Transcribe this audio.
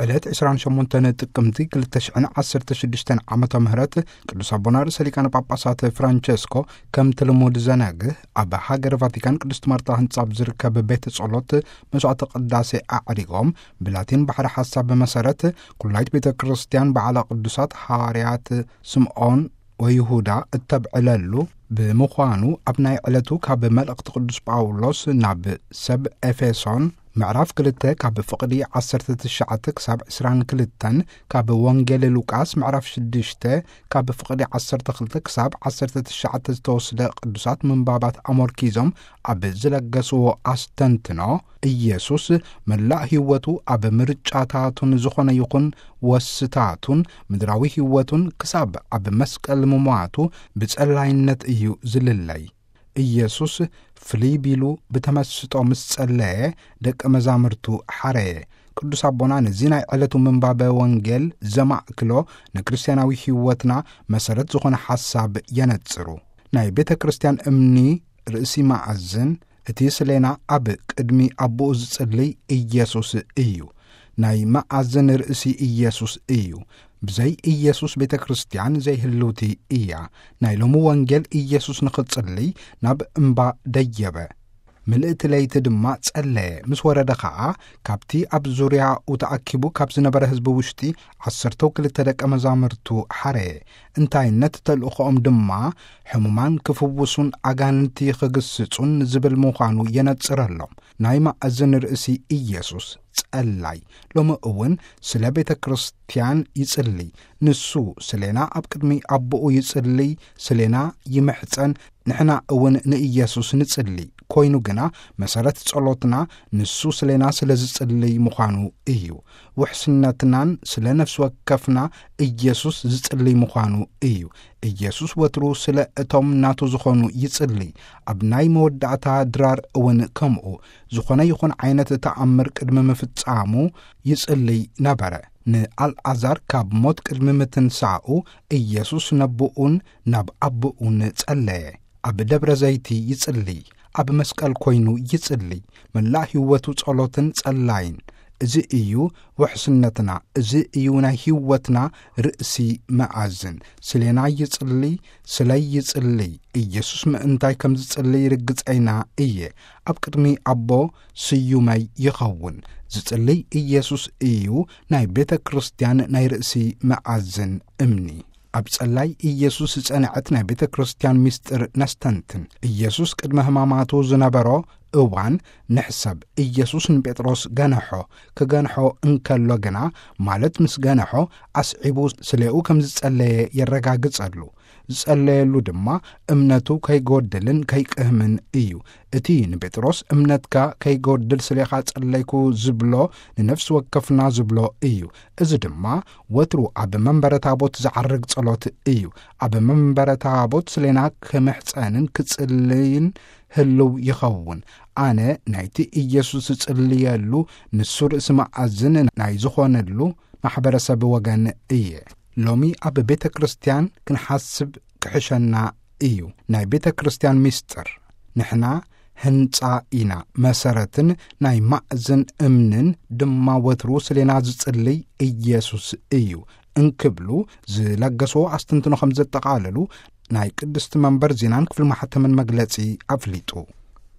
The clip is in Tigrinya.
ዕለት ዕስራን ሸሞንተን ጥቅምቲ ክልተ ሽሕን ዓሰርተ ሽዱሽተን ዓመተ ምህረት ቅዱስ ኣቦና ርእሰ ሊቃነ ጳጳሳት ፍራንቸስኮ ከምቲ ልሙድ ዘነግህ ኣብ ሃገረ ቫቲካን ቅድስት ማርታ ህንጻ ኣብ ዝርከብ ቤተ ጸሎት መስዋዕተ ቅዳሴ ኣዕሪጎም፣ ብላቲን ባሕሪ ሓሳብ መሰረት ኩላይት ቤተ ክርስቲያን በዓለ ቅዱሳት ሃዋርያት ስምዖን ወይሁዳ እተብዕለሉ ብምዃኑ፣ ኣብ ናይ ዕለቱ ካብ መልእኽቲ ቅዱስ ጳውሎስ ናብ ሰብ ኤፌሶን ምዕራፍ ክልተ ካብ ፍቕዲ ዓሰርተ ትሽዓተ ክሳብ ዕስራን ክልተን፣ ካብ ወንጌል ሉቃስ ምዕራፍ ሽዱሽተ ካብ ፍቕዲ ዓሰርተ ክልተ ክሳብ ዓሰርተ ትሽዓተ ዝተወስደ ቅዱሳት ምንባባት ኣመርኪዞም ኣብ ዝለገስዎ ኣስተንትኖ፣ ኢየሱስ መላእ ህይወቱ ኣብ ምርጫታቱን ዝኾነ ይኹን ወስታቱን ምድራዊ ህይወቱን ክሳብ ኣብ መስቀል ምሟቱ ብጸላይነት እዩ ዝልለይ። ኢየሱስ ፍልይ ቢሉ ብተመስጦ ምስ ጸለየ፣ ደቀ መዛሙርቱ ሓረየ። ቅዱስ ኣቦና ነዚ ናይ ዕለቱ ምንባበ ወንጌል ዘማእክሎ ንክርስትያናዊ ህይወትና መሰረት ዝኾነ ሓሳብ የነጽሩ። ናይ ቤተ ክርስቲያን እምኒ ርእሲ መኣዝን፣ እቲ ስሌና ኣብ ቅድሚ ኣቦኡ ዝጽልይ ኢየሱስ እዩ። ናይ መኣዝን ርእሲ ኢየሱስ እዩ። ብዘይ ኢየሱስ ቤተ ክርስቲያን ዘይህልውቲ እያ። ናይ ሎሚ ወንጌል ኢየሱስ ንኽጽልይ ናብ እምባ ደየበ። ምልእቲ ለይቲ ድማ ጸለየ። ምስ ወረደ ኸኣ፣ ካብቲ ኣብ ዙርያኡ ተኣኪቡ ካብ ዝነበረ ህዝቢ ውሽጢ ዓሰርተው ክልተ ደቀ መዛሙርቱ ሓረየ። እንታይነት ተልእኾኦም ድማ ሕሙማን ክፍውሱን ኣጋንንቲ ኽግስጹን ዝብል ምዃኑ የነጽረሎም። ናይ መኣዝን ርእሲ ኢየሱስ ጸላይ። ሎሚ እውን ስለ ቤተ ክርስቲያን ይጽሊ። ንሱ ስሌና ኣብ ቅድሚ ኣቦኡ ይጽሊ፣ ስሌና ይምሕጸን፣ ንሕና እውን ንኢየሱስ ንጽሊ። ኮይኑ ግና መሰረት ጸሎትና ንሱ ስሌና ስለ ዝጽልይ ምዃኑ እዩ። ውሕስነትናን ስለ ነፍሲ ወከፍና ኢየሱስ ዝጽልይ ምዃኑ እዩ። ኢየሱስ ወትሩ ስለ እቶም ናቱ ዝኾኑ ይጽልይ። ኣብ ናይ መወዳእታ ድራር እውን ከምኡ። ዝኾነ ይኹን ዓይነት ተኣምር ቅድሚ ምፍጻሙ ይጽልይ ነበረ። ንኣልዓዛር ካብ ሞት ቅድሚ ምትንሳኡ ኢየሱስ ነቦኡን ናብ ኣቦኡን ጸለየ። ኣብ ደብረ ዘይቲ ይጽልይ፣ ኣብ መስቀል ኮይኑ ይጽልይ። መላእ ህይወቱ ጸሎትን ጸላይን። እዚ እዩ ውሕስነትና፣ እዚ እዩ ናይ ህይወትና ርእሲ መኣዝን። ስሌና ይጽልይ፣ ስለይ ይጽልይ። ኢየሱስ ምእንታይ ከም ዝጽልይ ርግጸይና እየ። ኣብ ቅድሚ ኣቦ ስዩመይ ይኸውን። ዝጽልይ ኢየሱስ እዩ ናይ ቤተ ክርስቲያን ናይ ርእሲ መኣዝን እምኒ። ኣብ ጸላይ ኢየሱስ ዝጸንዐት ናይ ቤተ ክርስቲያን ምስጢር ነስተንትን። ኢየሱስ ቅድመ ሕማማቱ ዝነበሮ እዋን ንሕሰብ። ኢየሱስ ንጴጥሮስ ገንሖ። ክገንሖ እንከሎ ግና፣ ማለት ምስ ገንሖ፣ ኣስዒቡ ስሌኡ ከም ዝጸለየ የረጋግጸሉ። ዝጸለየሉ ድማ እምነቱ ከይጎድልን ከይቅህምን እዩ። እቲ ንጴጥሮስ እምነትካ ከይጎድል ስሌኻ ጸለይኩ ዝብሎ ንነፍሲ ወከፍና ዝብሎ እዩ። እዚ ድማ ወትሩ ኣብ መንበረ ታቦት ዝዓርግ ጸሎት እዩ። ኣብ መንበረ ታቦት ስሌና ክምሕጸንን ክጽልይን ህልው ይኸውን። ኣነ ናይቲ ኢየሱስ ዝጽልየሉ ንሱ ርእሲ መኣዝን ናይ ዝኾነሉ ማሕበረሰብ ወገን እየ። ሎሚ ኣብ ቤተ ክርስቲያን ክንሓስብ ክሕሸና እዩ። ናይ ቤተ ክርስቲያን ምስጢር። ንሕና ህንጻ ኢና፣ መሰረትን ናይ ማእዝን እምንን ድማ ወትሩ ስሌና ዝጽልይ ኢየሱስ እዩ እንክብሉ ዝለገስዎ ኣስተንትኖ ከም ዘጠቓለሉ ናይ ቅድስቲ መንበር ዜናን ክፍሊ ማሕተምን መግለጺ ኣፍሊጡ።